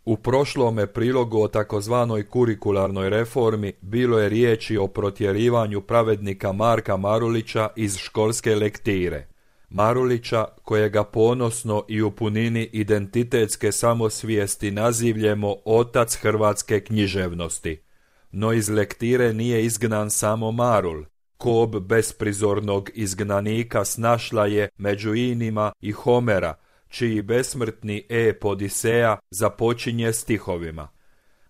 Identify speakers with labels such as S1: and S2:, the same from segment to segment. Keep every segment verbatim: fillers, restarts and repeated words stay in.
S1: U prošlome prilogu o takozvanoj kurikularnoj reformi bilo je riječi o protjerivanju pravednika Marka Marulića iz školske lektire. Marulića, kojega ponosno i u punini identitetske samosvijesti nazivljemo otac hrvatske književnosti. No iz lektire nije izgnan samo Marul. Kob besprizornog izgnanika snašla je među inima i Homera, čiji besmrtni ep Odiseja započinje stihovima.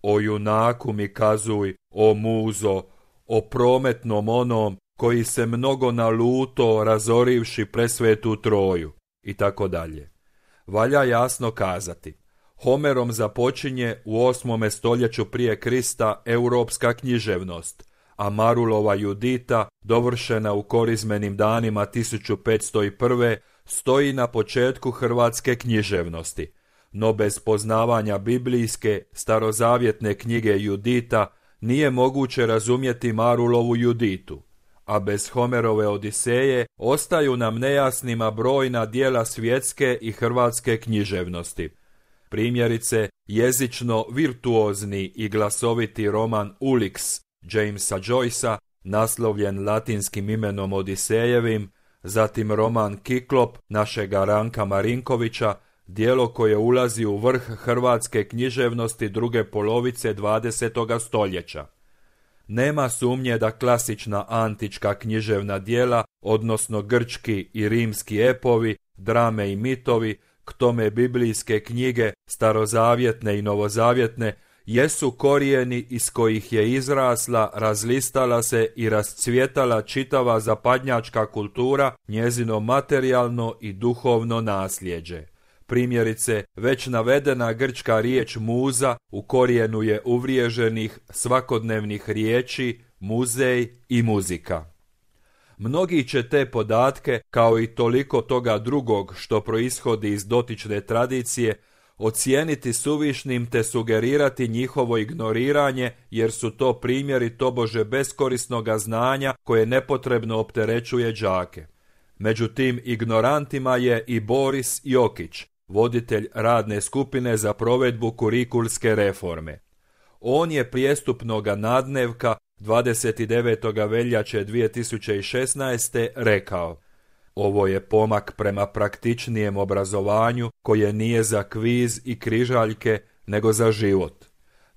S1: O junaku mi kazuj, o muzo, o prometnom onom koji se mnogo naluto razorivši presvetu Troju, i tako dalje. Valja jasno kazati, Homerom započinje u osmome stoljeću prije Krista europska književnost, a Marulova Judita, dovršena u korizmenim danima tisuću petsto prve. stoji na početku hrvatske književnosti, no bez poznavanja biblijske, starozavjetne knjige Judita nije moguće razumjeti Marulovu Juditu, a bez Homerove Odiseje ostaju nam nejasnima brojna djela svjetske i hrvatske književnosti. Primjerice, jezično virtuozni i glasoviti roman Ulix Jamesa Joycea, naslovljen latinskim imenom Odisejevim, zatim roman Kiklop našega Ranka Marinkovića, djelo koje ulazi u vrh hrvatske književnosti druge polovice dvadesetoga stoljeća. Nema sumnje da klasična antička književna djela, odnosno grčki i rimski epovi, drame i mitovi, k tome biblijske knjige, starozavjetne i novozavjetne, jesu korijeni iz kojih je izrasla, razlistala se i rascvjetala čitava zapadnjačka kultura, njezino materijalno i duhovno nasljeđe. Primjerice, već navedena grčka riječ muza u korijenu je uvriježenih svakodnevnih riječi muzej i muzika. Mnogi će te podatke, kao i toliko toga drugog što proishodi iz dotične tradicije, ocijeniti suvišnim te sugerirati njihovo ignoriranje, jer su to primjeri tobože beskorisnoga znanja koje nepotrebno opterećuje đake. Među tim ignorantima je i Boris Jokić, voditelj radne skupine za provedbu kurikulske reforme. On je prijestupnoga nadnevka dvadeset devetog veljače dvije tisuće šesnaeste. rekao: ovo je pomak prema praktičnijem obrazovanju koje nije za kviz i križaljke, nego za život.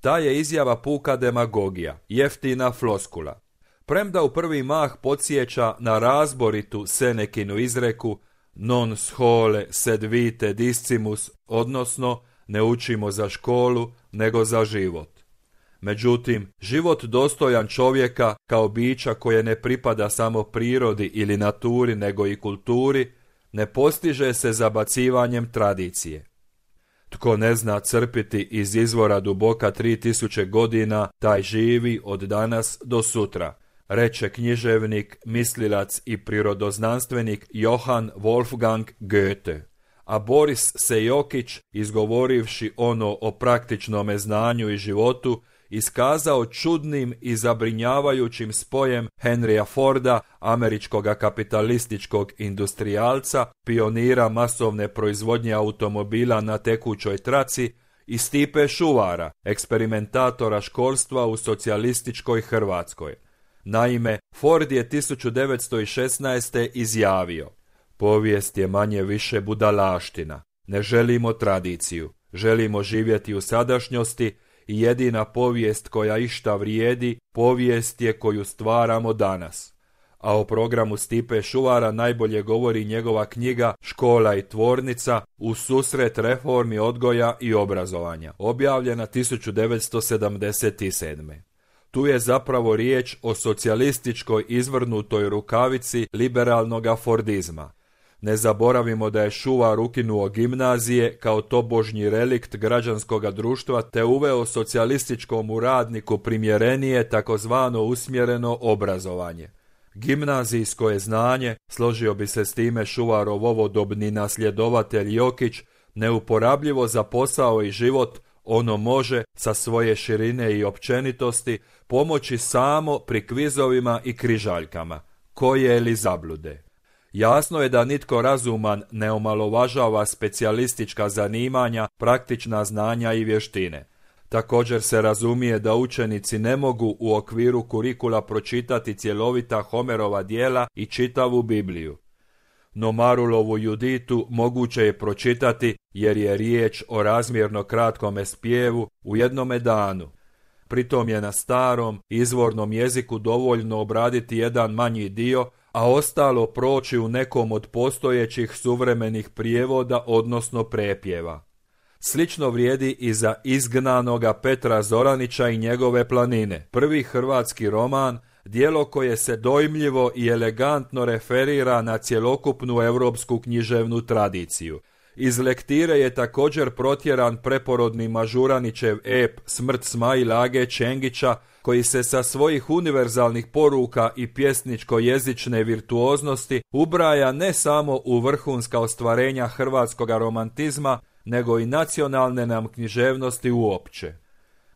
S1: Ta je izjava puka demagogija, jeftina floskula. Premda u prvi mah podsjeća na razboritu Senekinu izreku non schole sed vitae discimus, odnosno ne učimo za školu, nego za život. Međutim, život dostojan čovjeka kao bića koje ne pripada samo prirodi ili naturi nego i kulturi, ne postiže se zabacivanjem tradicije. Tko ne zna crpiti iz izvora duboka tri tisuće godina, taj živi od danas do sutra, reče književnik, mislilac i prirodoznanstvenik Johann Wolfgang Goethe. A Boris Sejokić, izgovorivši ono o praktičnome znanju i životu, iskazao čudnim i zabrinjavajućim spojem Henrya Forda, američkoga kapitalističkog industrijalca, pionira masovne proizvodnje automobila na tekućoj traci, i Stipe Šuvara, eksperimentatora školstva u socijalističkoj Hrvatskoj. Naime, Ford je tisuću devetsto šesnaeste. izjavio: povijest je manje više budalaština. Ne želimo tradiciju, želimo živjeti u sadašnjosti i jedina povijest koja išta vrijedi, povijest je koju stvaramo danas. A o programu Stipe Šuvara najbolje govori njegova knjiga Škola i tvornica u susret reformi odgoja i obrazovanja, objavljena tisuću devetsto sedamdeset sedme. Tu je zapravo riječ o socijalističkoj izvrnutoj rukavici liberalnoga fordizma. Ne zaboravimo da je Šuvar ukinuo gimnazije kao tobožnji relikt građanskoga društva te uveo socijalističkom radniku primjerenije takozvano usmjereno obrazovanje. Gimnazijsko je znanje, složio bi se s time Šuvarov ovodobni nasljedovatelj Jokić, neuporabljivo za posao i život. Ono može, sa svoje širine i općenitosti, pomoći samo pri kvizovima i križaljkama, koje li zablude. Jasno je da nitko razuman ne omalovažava specijalistička zanimanja, praktična znanja i vještine. Također se razumije da učenici ne mogu u okviru kurikula pročitati cjelovita Homerova djela i čitavu Bibliju. No Marulovu Juditu moguće je pročitati jer je riječ o razmjerno kratkome spjevu u jednome danu. Pritom je na starom, izvornom jeziku dovoljno obraditi jedan manji dio, a ostalo proći u nekom od postojećih suvremenih prijevoda, odnosno prepjeva. Slično vrijedi i za Izgnanoga Petra Zoranića i njegove planine, prvi hrvatski roman, djelo koje se dojmljivo i elegantno referira na cjelokupnu europsku književnu tradiciju. Iz lektire je također protjeran preporodni Mažuranićev ep Smrt Smail Age Čengića, koji se sa svojih univerzalnih poruka i pjesničko-jezične virtuoznosti ubraja ne samo u vrhunska ostvarenja hrvatskoga romantizma, nego i nacionalne nam književnosti uopće.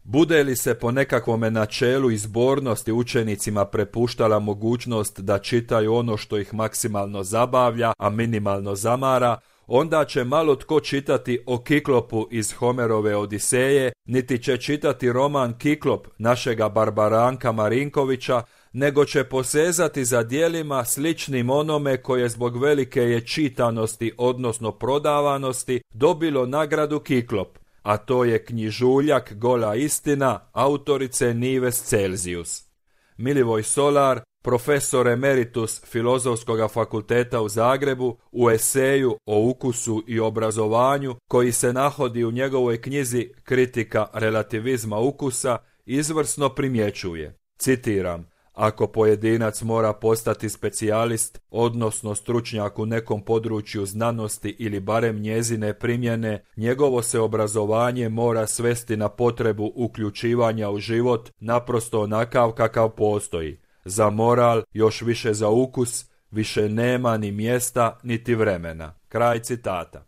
S1: Bude li se po nekakvome načelu izbornosti učenicima prepuštala mogućnost da čitaju ono što ih maksimalno zabavlja, a minimalno zamara, onda će malo tko čitati o Kiklopu iz Homerove Odiseje, niti će čitati roman Kiklop našega Barbaranka Marinkovića, nego će posezati za djelima sličnim onome koje zbog velike je čitanosti, odnosno prodavanosti, dobilo nagradu Kiklop, a to je knjižuljak Gola istina autorice Nives Celzius. Milivoj Solar, profesor emeritus Filozofskog fakulteta u Zagrebu, u eseju o ukusu i obrazovanju, koji se nahodi u njegovoj knjizi Kritika relativizma ukusa, izvrsno primjećuje, citiram: ako pojedinac mora postati specijalist, odnosno stručnjak u nekom području znanosti ili barem njezine primjene, njegovo se obrazovanje mora svesti na potrebu uključivanja u život naprosto onakav kakav postoji. Za moral, još više za ukus, više nema ni mjesta niti vremena. Kraj citata.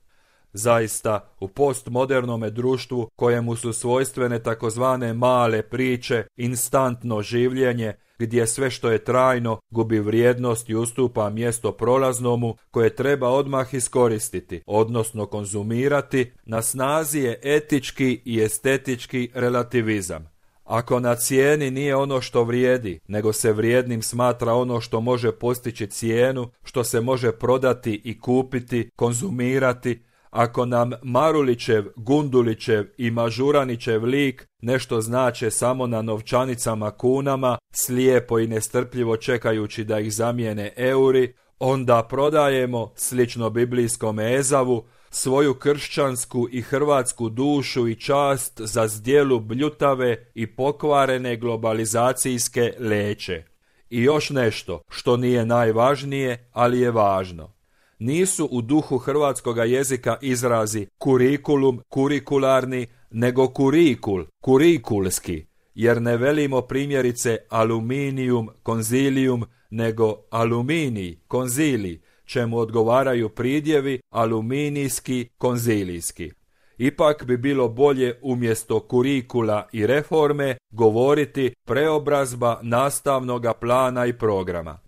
S1: Zaista, u postmodernome društvu kojemu su svojstvene takozvane male priče, instantno življenje, gdje sve što je trajno gubi vrijednost i ustupa mjesto prolaznomu koje treba odmah iskoristiti, odnosno konzumirati, na snazi je etički i estetički relativizam. Ako na cijeni nije ono što vrijedi, nego se vrijednim smatra ono što može postići cijenu, što se može prodati i kupiti, konzumirati, ako nam Marulićev, Gundulićev i Mažuranićev lik nešto znače samo na novčanicama kunama, slijepo i nestrpljivo čekajući da ih zamijene euri, onda prodajemo, slično biblijskom Ezavu, svoju kršćansku i hrvatsku dušu i čast za zdjelu bljutave i pokvarene globalizacijske leće. I još nešto, što nije najvažnije, ali je važno. Nisu u duhu hrvatskoga jezika izrazi kurikulum, kurikularni, nego kurikul, kurikulski, jer ne velimo primjerice aluminijum, konzilium, nego aluminij, konzilij, čemu odgovaraju pridjevi aluminijski, konzilijski. Ipak bi bilo bolje umjesto kurikula i reforme govoriti preobrazba nastavnoga plana i programa.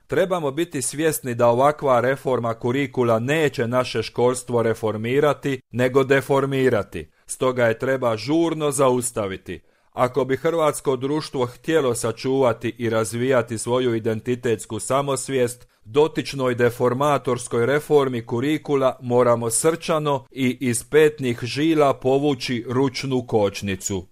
S1: Trebamo biti svjesni da ovakva reforma kurikula neće naše školstvo reformirati, nego deformirati, stoga je treba žurno zaustaviti. Ako bi hrvatsko društvo htjelo sačuvati i razvijati svoju identitetsku samosvijest, dotičnoj deformatorskoj reformi kurikula moramo srčano i iz petnih žila povući ručnu kočnicu.